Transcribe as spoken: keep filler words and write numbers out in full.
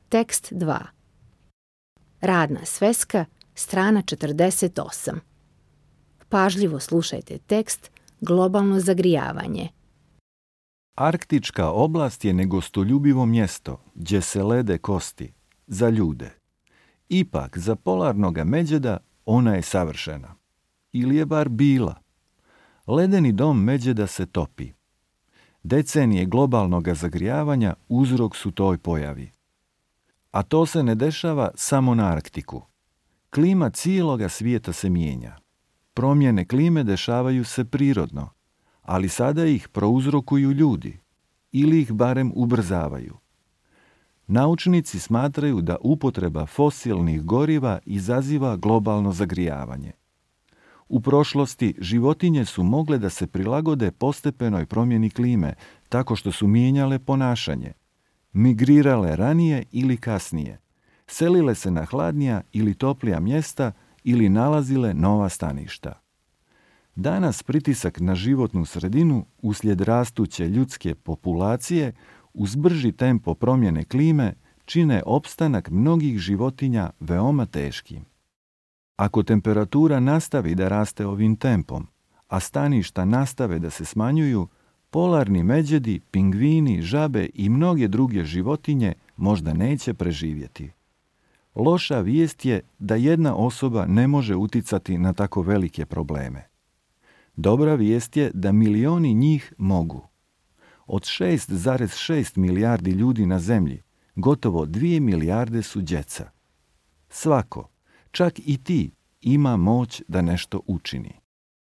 Tekst dva. Radna sveska, strana četrdeset osam. Pažljivo slušajte tekst Globalno zagrijavanje. Arktička oblast je negostoljubivo mjesto, gdje se lede kosti, za ljude. Ipak, za polarnoga medvjeda ona je savršena. Ili je bar bila. Ledeni dom medvjeda se topi. Decenije globalnog zagrijavanja uzrok su toj pojavi. A to se ne dešava samo na Arktiku. Klima cijeloga svijeta se mijenja. Promjene klime dešavaju se prirodno, ali sada ih prouzrokuju ljudi, ili ih barem ubrzavaju. Naučnici smatraju da upotreba fosilnih goriva izaziva globalno zagrijavanje. U prošlosti životinje su mogle da se prilagode postepenoj promjeni klime tako što su mijenjale ponašanje, migrirale ranije ili kasnije, selile se na hladnija ili toplija mjesta ili nalazile nova staništa. Danas pritisak na životnu sredinu uslijed rastuće ljudske populacije uz brži tempo promjene klime čine opstanak mnogih životinja veoma teškim. Ako temperatura nastavi da raste ovim tempom, a staništa nastave da se smanjuju, polarni medvjedi, pingvini, žabe i mnoge druge životinje možda neće preživjeti. Loša vijest je da jedna osoba ne može uticati na tako velike probleme. Dobra vijest je da milioni njih mogu. Od šest zarez šest milijardi ljudi na zemlji, gotovo dvije milijarde su djeca. Svako, čak i ti, ima moć da nešto učini.